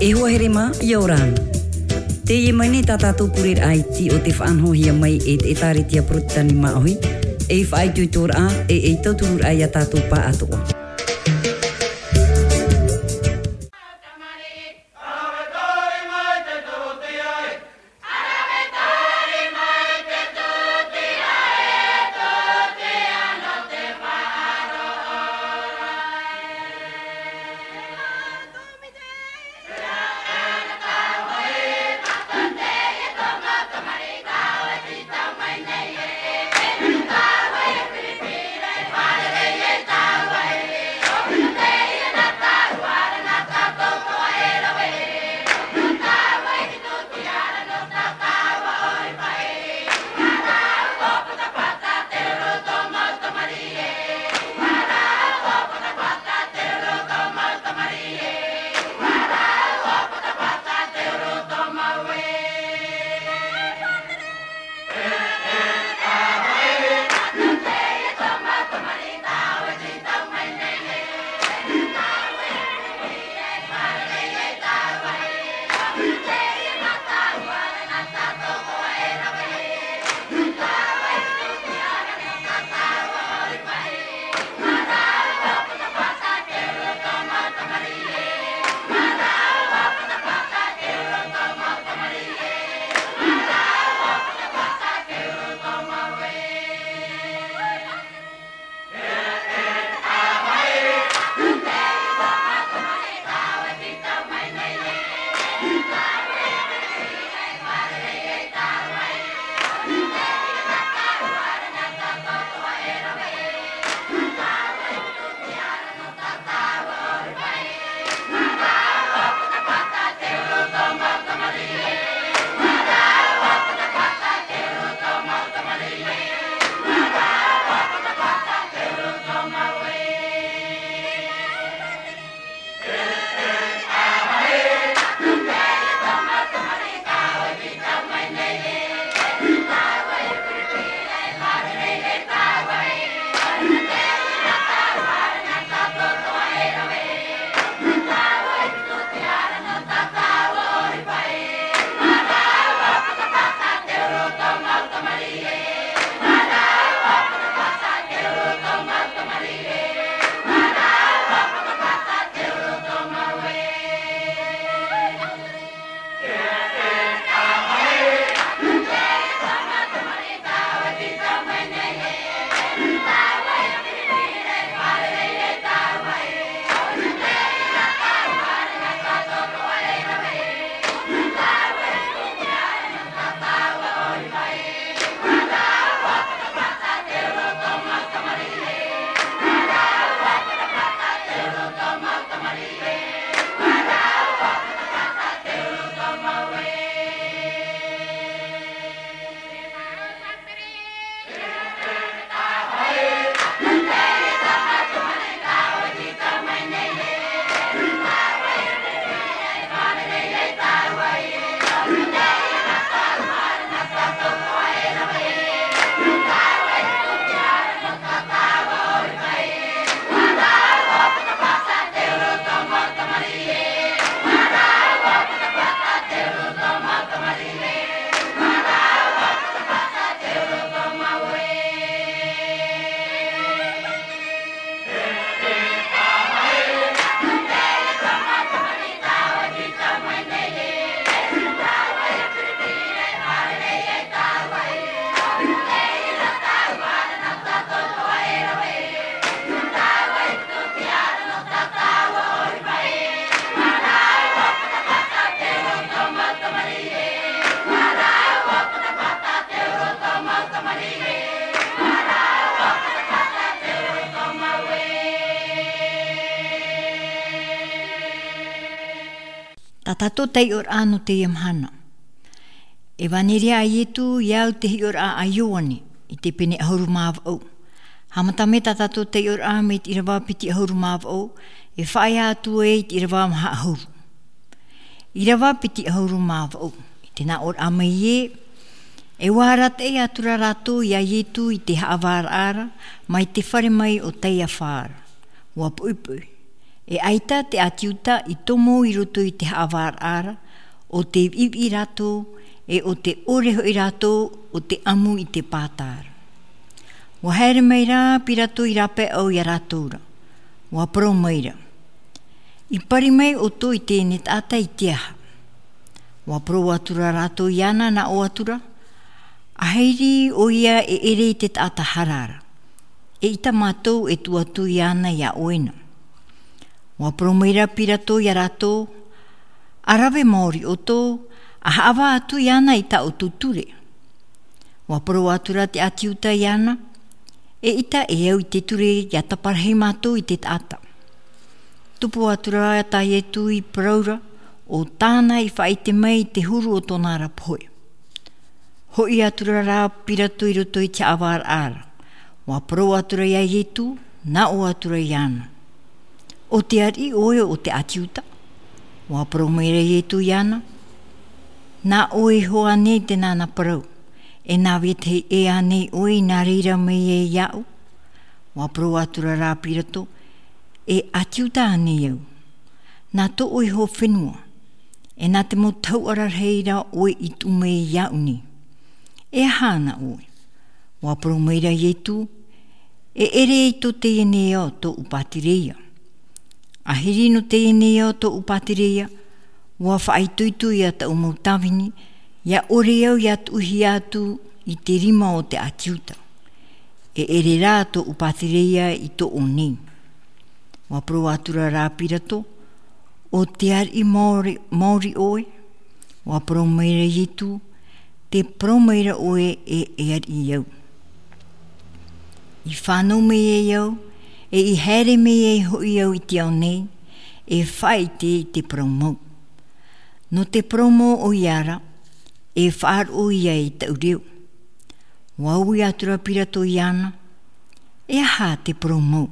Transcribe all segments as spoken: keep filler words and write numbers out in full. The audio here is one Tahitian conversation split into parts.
E hoa here mā, ʻia ora na. Teie mai nei tā tātou pureraʻa iti o te faʻanahohia mai e te ʻĒtārētia Porotetani Māʻohi, ei faʻaitoitoraʻa, e ei tauturuʻraʻa ia tātou pāʻatoʻa. Tā tātou taiʻoraʻa nō teie mahana. Evanelia a Ietu, ia au te hiʻoraʻa a Ioane, i te pene ʻahuru mā vaʻu. Haʻamata mai tā tātou taiʻoraʻa mai te ʻīrava piti ʻahuru mā vaʻu, e faʻaea atu ai i te ʻīrava maha ʻahuru. ʻĪrava piti ʻahuru mā vaʻu, i te nā ʻōraʻa mai ē, e ua arataʻi atu ra rātou ia Ietu i te haʻavāraʻa ra, mai te fare mai o Taiafa ra. Ua poʻipoʻi. E ʻaita te ʻĀti Iuta i tomo i roto i te haʻavāraʻa ra, ʻo tē viʻiviʻi rātou, e ʻo tē ʻore hoʻi rātou ʻo tē ʻamu i te pāta ra. ʻUa haere mai rā Pirato i rāpae ʻau ia rātou ra. ʻUa parau mai ra, "I pari mai ʻoutou i teie nei taʻata i te aha?" ʻUa parau atu ra rātou iāna nā ʻō atu ra, "ʻAhiri ʻoia e ʻere i te taʻata hara ra. ʻEita mātou e tuʻu atu iāna iā ʻoe na." ʻUa parau mai ra Pirato ia rātou, "ʻA rave maori ʻoutou, ʻa haʻavā atu iāna i tā ʻoutou ture." ʻUa parau atu ra te ʻĀti Iuta iāna, "ʻEita e au i te ture ia taparahi mātou i te taʻata." Tupu atu ra tā Ietu i parau ra, ʻo tāna i faʻaʻite mai i te huru o tōna ra pohe. Hoʻi atu ra rā Pirato i roto i te haʻavāraʻa ra. ʻUa parau atu ra ia Ietu, nā ʻō atu ra iāna, "ʻO te ariʻi ʻoe o te ʻĀti Iuta?" ʻUa parau mai ra Ietu iāna, "Nā ʻoe iho ānei te nāna parau, e nā vetahi ʻē ānei ʻoe i nā reira mai ai iāʻu?" ʻUa parau atu ra rā Pirato, "E ʻĀti Iuta ānei au, nā tōʻu iho fenua, e nā te mau tahuʻa rarahi ra ʻoe i tuʻu mai iāʻu nei. E aha na ʻoe?" ʻUa parau mai ra Ietu, "E ʻere i tō teie nei ao tōʻu pātireia. ʻAhiri nō teie nei ao tōʻu pātireia, ʻua faʻaitoito ia tāʻu mau tāvini, ia ʻore au ia tuʻuhia atu i te rima o te ʻĀti Iuta. E ʻere rā tōʻu pātireia i tōʻu nei." ʻUa parau atu ra rā Pirato, "ʻO te ariʻi maori, maori ʻoe?" ʻUa parau mai ra Ietu, "Tē parau mai ra ʻoe ē, e ariʻi au. I fānau mai ai au, e i haere mai ai hoʻi au i te ao nei, e faʻaʻite i te parau mau. Nō te parau mau ʻoia ra, e faʻaroʻo ia i tāʻu reo." ʻUa ui atu ra Pirato iāna, "E aha te parau mau?"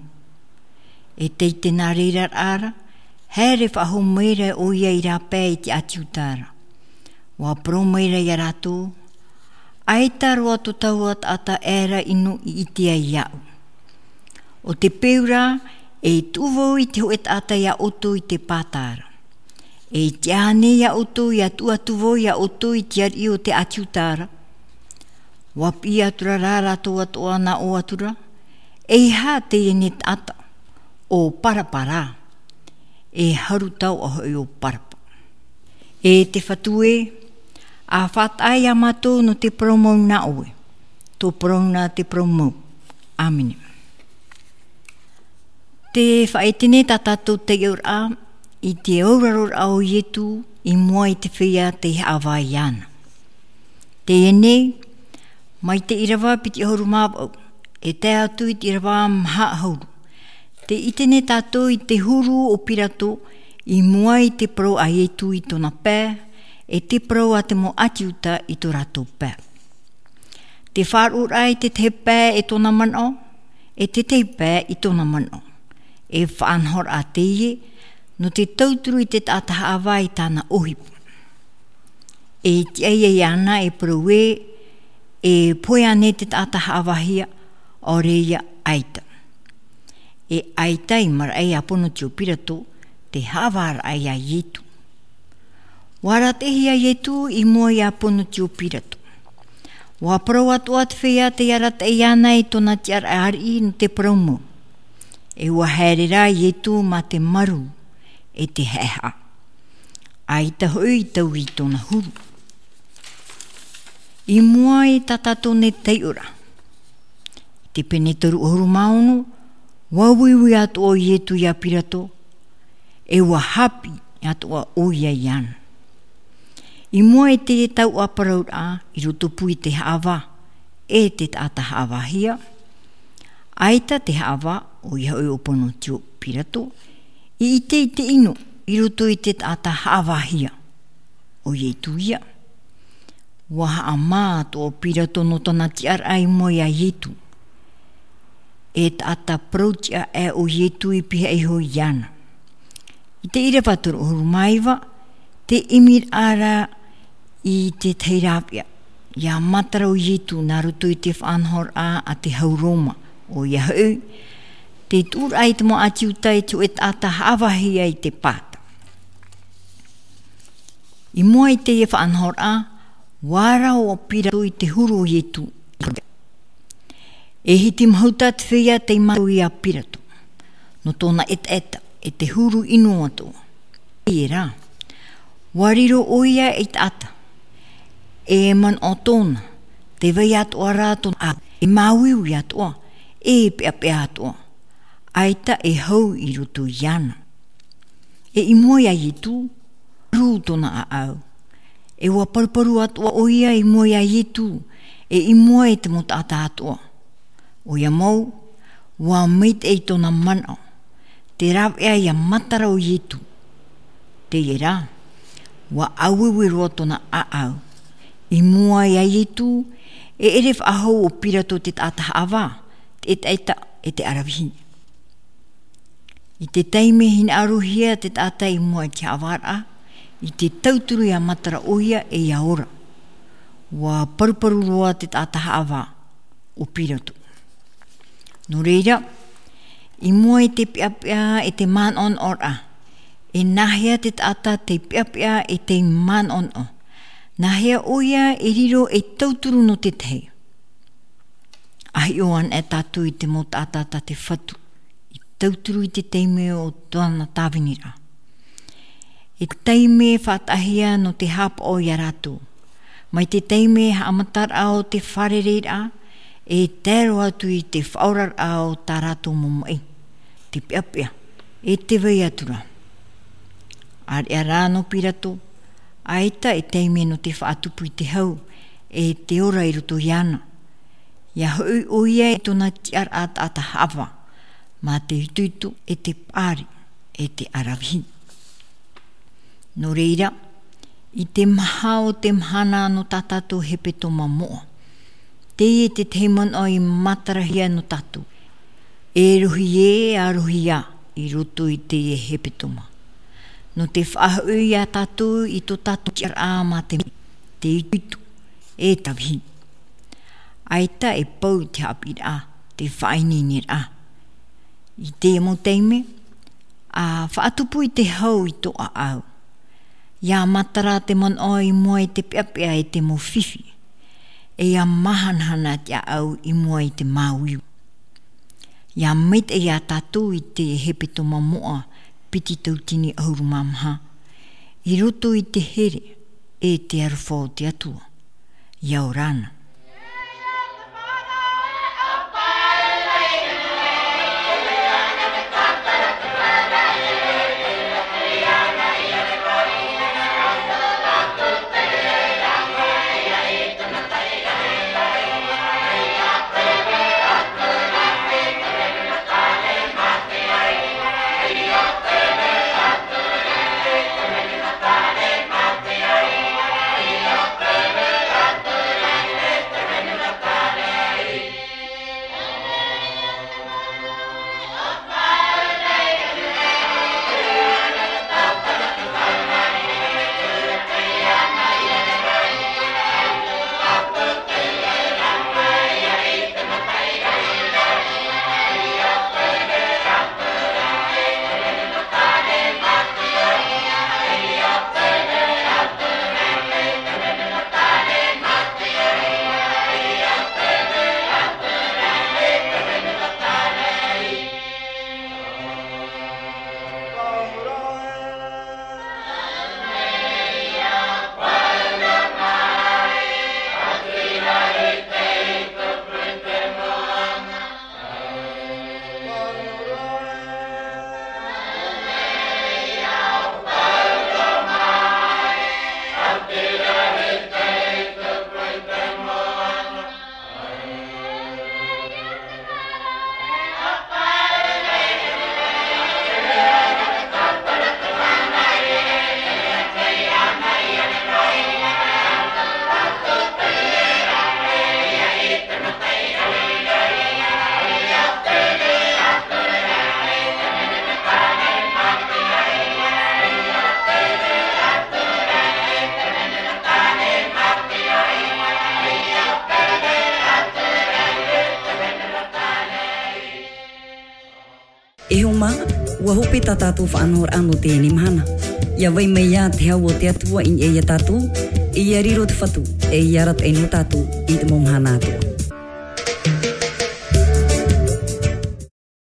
E tei te nā reira ra, haere faʻahou mai ra ʻoia i rāpae i te ʻĀti Iuta ra. ʻUa parau mai ra ia rātou, "ʻAita roa tō taua taʻata ʻē ra ʻino i ʻite ai iāʻu. ʻO te peu ra, e tuʻu vau i te hōʻē taʻata ia ʻoutou i te pāta ra. E ʻite ānei ia ʻoutou ia tuʻu atu vau ia ʻoutou i te ariʻi o te ʻĀti Iuta ra?" ʻUa piʻi atu ra rā rātou atoʻa nā ʻō atu ra, "E aha teie nei taʻata, ʻo Parapa rā? E haru taoʻa hoʻi ʻo Parapa." E te Fatu ē, ʻa faʻataʻa ia mātou nō te parau mau nā ʻoe. Tō parau na te parau mau. ʻĀmene. Tē faʻaʻite nei tā tātou taiʻoraʻa i te auraroraʻa o Ietu i mua i te feiā tei haʻavā iāna. Teie nei, mai te ʻīrava piti ʻahuru mā vaʻu, e tae atu i te ʻīrava maha ʻahuru. Tē ʻite nei tātou i te huru o Pirato i mua i te parau a Ietu i tōna pae, e te parau a te mau ʻĀti Iuta i tō rātou pae. Te faʻaroʻoraʻa i te tahi pae e tōna manaʻo, e te tahi pae i tōna manaʻo. E faʻanahoraʻa teie, nō te tauturu i te taʻata haʻavā i tāna ʻohipa. E tiʻa ia iāna e parau ē, e pohe ānei te taʻata haʻavāhia, ʻaore ia ʻaita. E ʻaita i maraʻa ia Ponotio Pirato te haʻavāraʻa ia Ietu. ʻUa arataʻihia Ietu i mua ia Ponotio Pirato. ʻUa parau atoʻa te feiā tei arataʻi iāna i tōna tiʻaraʻa ariʻi nō te parau mau. E ʻua haere rā Ietu mā te marū e te haʻehaʻa. ʻAita hoʻi i taui i tōna huru. I mua i tā tātou nei taiʻoraʻa. I te pene toru ʻahuru mā ono, ʻua uiui atoʻa ʻo Ietu ia Pirato, e ʻua haʻapiʻi atoʻa ʻoia iāna. I mua i te tauʻaparauraʻa i rotopū i te haʻavā, e te taʻata haʻavāhia, ʻaita te haʻavā, ʻoia hoʻi ʻo Ponotio Pirato, i ʻite i te ʻino i roto i te taʻata haʻavāhia, ʻo Ietu ia. ʻUa haʻamā atoʻa ʻo Pirato nō tōna tiʻaraʻa i mua ia Ietu. E taʻata parau tiʻa aʻe ʻo Ietu i pihaʻi iho iāna. I te ʻīrava toru ʻahuru mā iva, tē ʻimiraʻa ra i te tahi rāveʻa, ʻia matara ʻo Ietu nā roto i te faʻanahoraʻa a te hau Roma, ʻoia hoʻi, Te tuʻuraʻa i te mau ʻāti Iuta i te hōʻē taʻata haʻavāhia i te pāta. I mua i teie faʻanahoraʻa, ʻua ora ʻo Pirato i te huru o Ietu. E hiti mahuta te feiā tei mātau iā Pirato, nō tōna ʻetaʻeta, e te huru ʻino atoʻa. Teie rā, ʻua riro ʻoia ei taʻata, e manaʻo tōna, tē vai atoʻa rā tōna ʻāʻau, e māuiui atoʻa, e peʻapeʻa atoʻa, ʻaita e hau i roto iāna. E i mua iā Ietu, rū tōna ʻāʻau. E ʻua paruparu atoʻa ʻoia i mua iā Ietu, e i mua i te mau taʻata atoʻa. ʻOia mau, ʻua maitaʻi tōna manaʻo, tē rāveʻa iā matara ʻo Ietu. Teie rā, ʻua ʻāueue roa tōna ʻāʻau. I mua iā Ietu, e ʻere faʻahou ʻo Pirato te taʻata haʻavā, te ʻetaʻeta, e te ʻaravihi. I te taime hinaʻarohia te taʻata i mua i te haʻavāraʻa, i te tauturu iā matara ʻoia e ʻia ora. ʻUa paruparu roa te taʻata haʻavā, ʻo Pirato. Nō reira, i mua i te peʻapeʻa e te manaʻonaʻoraʻa, e nāhea te taʻata tei peʻapeʻa e tei manaʻonaʻo? Nāhea ʻoia e riro ei tauturu nō te tahi? ʻA hiʻo anaʻe tātou i te mau taʻata tā te Fatu, i tauturu i te taime o tōna tāviniraʻa. E taime faʻataʻahia nō te haʻapaʻo iā rātou. Mai te taime haʻamataraʻa o te fārereiraʻa, e tae roa atu i te faʻaoraraʻa o tā rātou mau maʻi, te peʻapeʻa, e te vai atu ra. ʻĀreʻa rā nō Pirato, ʻaita e taime nō te faʻatupu i te hau, e te ora i roto iāna. ʻIa hoʻi ʻoia i tōna tiʻaraʻa taʻata haʻavā, mā te itoito, e te paʻari, e te ʻaravihi. Nō reira, i te maha o te mahana nō tā tātou hepetoma moʻa, teie te tahi manaʻo i matarahia nō tātou. E rohi ē, ʻa rohi ā, i roto i teie hepetoma. Nō te faʻahoʻi iā tātou i tō tātou tiʻaraʻa mā te, te itoito, e te ʻaravihi. ʻAita e pau te haʻapiʻiraʻa, te faʻaineineraʻa. I teie mau taime, ʻa faʻatupu i te hau i tō ʻāʻau. ʻIa matara te manaʻo i mua i te peʻapeʻa e te mau fifi. E ʻia māhanahana te ʻāʻau i mua i te māuiui. ʻIa maitaʻi iā tātou i te hepetoma moʻa piti tauatini ʻahuru mā maha, i roto i te here e te aroha o te Atua. ʻIa ora na. ʻUa hope tā tātou faʻanahoraʻa nō teie mahana. ʻIa vai mai ā te hau o te Atua i niʻa ia tātou, ʻe ʻia riro te Fatu, ʻe ʻia arataʻi nō tātou i te mau mahana atoʻa.